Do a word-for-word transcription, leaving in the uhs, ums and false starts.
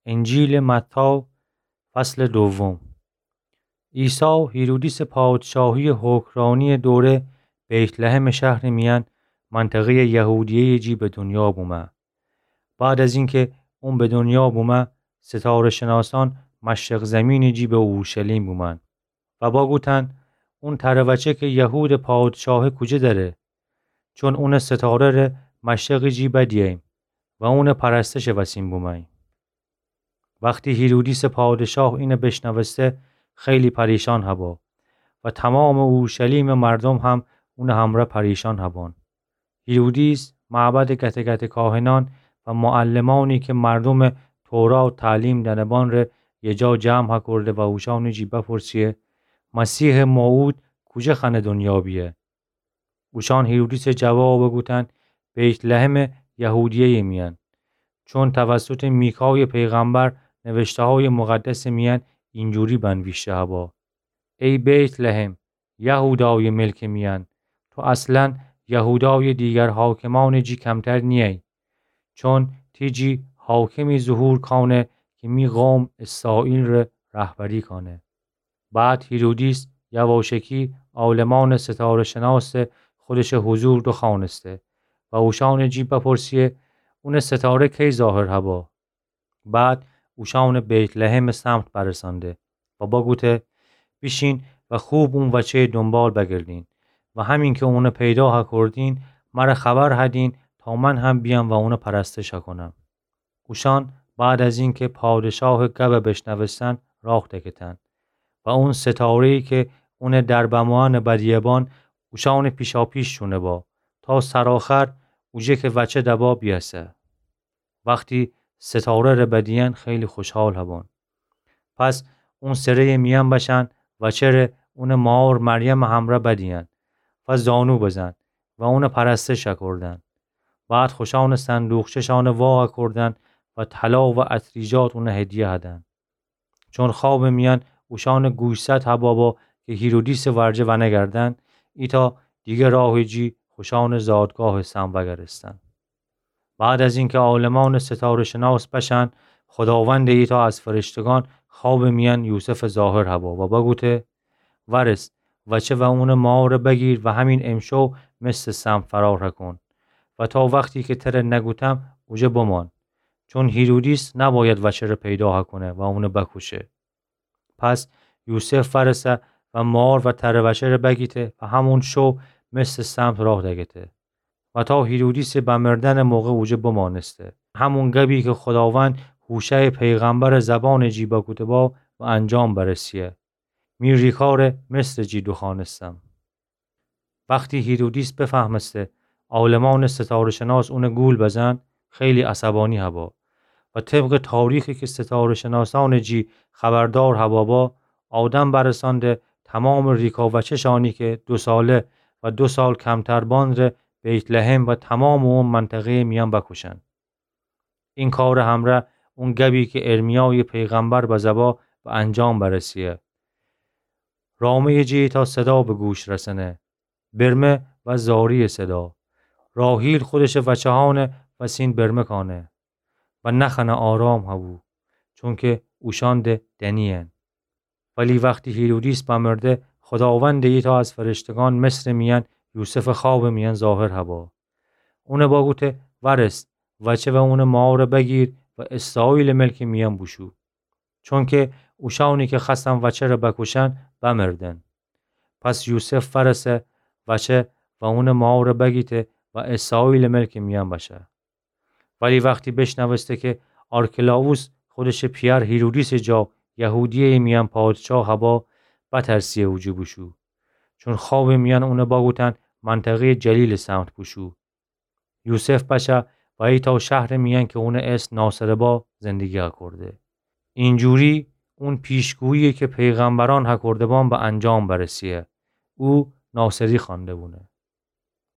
انجیلٚ متی، فصلٚ دوم. عیسی هیرودیسٚ پادشاهیٚ حکمرانیٚ دوره بیت‌لحمٚ شهرٚ میأن، منطقه‌یٚ یهودیه‌یٚ جی به دنیا بومه. بعد از اینکه اون به دنیا بومه، ستاره‌شناسأن مشرق زیمینٚ جی به اورشلیم بومأن و بوگوتأن: اون تره وچه که یهودٚ پادشاهه کوجه دره؟ چون اونٚ ستاره‌ره مشرقٚ جی بدیه‌ییم و اونٚ پرستشٚ وسین بومه‌ییم. وختی هیرودیسٚ پادشاه اینه بیشنوسته، خیلی پریشان هبا و تومامٚ اورشلیمٚ مردوم هم اونٚ همرأ پریشان هبأن. هیرودیس معبدٚ گته‌گته‌کاهنأن و معلمأنی که مردومٚ تورات تعلیم دأنه‌بأن ره یه جا جمع هکورده و اوشأنٚ جی بپرسه: مسیحٚ موعود کوجه خوأنه دنیا بیه؟ اوشأن هیرودیسٚ جواب بوگوتأن: بیت‌لحمٚ یهودیه‌یٚ میأن، چون توسطٚ میکایٚ پیغمبر نوشته‌هایٚ مقدسٚ میأن اینجوری بنویشته هبا: ای بیت‌لحم، یهودایٚ ملکٚ میأن، تو اصلاً یهودایٚ دیگر حاکمأنٚ جی کمتر نییی، چون تی جی حاکمی ظهور کأنه که می قوم اسرائیل ره رهبری کأنه. بعد هیرودیس یواشکی عالمأنٚ ستاره‌شناسٚ خودشٚ حضور دوخوأنسته و اوشأنٚ جی بپرسه: اونٚ ستاره کی ظاهر هبا؟ بعد اوشأنٚ بیت‌لحمٚ سمت برسأنده و بوگوته: بیشین و خوب اون وچه‌یٚ دونبال بگردین و همین که اونه پیدا هکردین، مره خبر هدین تا من هم بیأم و اونه پرستش هکنم. اوشأن بعد از اینکه پادشاهٚ گب بیشنوستن، راه دکفتن و اون ستاره‌یی که اونه در بموئن بدیه‌بان اوشأنٚ پیشاپیش شونه با تا سرآخر اوجه که وچه دبا بیأسه. وختی ستاره ره بدیئن خیلی خوشحال هبان. پس اون سره‌یٚ میأن بشأن وچه ره اونٚ مار مریمٚ همرأ بدیئن و زانو بزن و اونه پرستش هکردن. بعد خوشأنٚ صندوقچه‌شأنه وا هکردن و طلا و عطریجات اونه هدیه هدن. چون خوابٚ میأن اوشأنٚ گوشزد هبا با که هیرودیسٚ ورجه ونگردن، ایتأ دیگه راهٚ جی خوشأنٚ زادگاهٚ سمت وگرستن. بعد از اینکه عالمأنٚ ستاره‌شناس بشأن، خداوندٚ ایتأ از فرشتگان خوابٚ میأن یوسفٚ ظاهر هبا و بگوته: ورس، وچه و اونٚ ماره بگیر و همین امشو مصرٚ سمت فرار هکن و تا وختی که تره نگوتم اوجه بمان، چون هیرودیس نباید وچه ره پیدا هکنه و اونه بکوشه. پس یوسف ورسه و مار و تره وچه ره بگیته و همون شو مصرٚ سمت راه دکفته و تا هیرودیسٚ بمردنٚ موقع اوجه بمانسته. همون گبی که خداوند هوشعٚ پیغمبرٚ زبانٚ جی بگوته با، به انجام برسیه: می ریکا ره مصرٚ جی دوخوأنستم. وختی هیرودیس بفهمسته عالمأنٚ ستاره‌شناس اونه گول بزن، خیلی عصبانی هبا و طبقٚ تاریخی که ستاره‌شناسأنٚ جی خبردار هبا با، آدم برسأنده تومامٚ ریکا وچه‌شأنی که دو ساله و دو سال کمتر بان ره بیت‌لحم و تومامٚ اون منطقه‌یٚ میأن بکوشن. این کارٚ همرأ اون گبی که ارمیایٚ پیغمبر بزه با، به انجام برسیه: رامه‌یٚ جی ایتأ صدا به گوش رسنه، برمه و زاری‌یٚ صدا. راحیل خودشٚ وچه‌هأنٚ وسین برمه کأنه و نخوأنه آرام هبو، چونکه اوشأن ده دنی‌ین. ولی وختی هیرودیس بمرده، خداوندٚ ایتأ از فرشتگان مصرٚ میأن یوسفٚ خوابٚ میأن ظاهر هبا. اونه بگوته: ورس، وچه و اونٚ ماره بگیر و اسرائیلٚ ملکٚ میأن بوشو. چونکه اوشأنی که خوأستن وچه ره بکوشن، بمردن. پس یوسف ورسه وچه و اونٚ ماره بگیته و اسرائیلٚ ملکٚ میأن بشه. ولی وختی بیشنوسته که آرکلاوس خودشٚ پیأر هیرودیسٚ جا یهودیه‌یٚ میأن پادشاه هبا، بترسیه اوجه بوشو. چون خوابٚ میأن اونه بگوتن منطقه‌یٚ جلیلٚ سمت بوشو. یوسف بشه و ایتأ شهرٚ میأن که اونٚ اسم ناصره با زندگی هکرده. اینجوری اون پیشگویی که پیغمبرأن هکرده بان به انجام برسیه. او ناصری خوأنده بونه.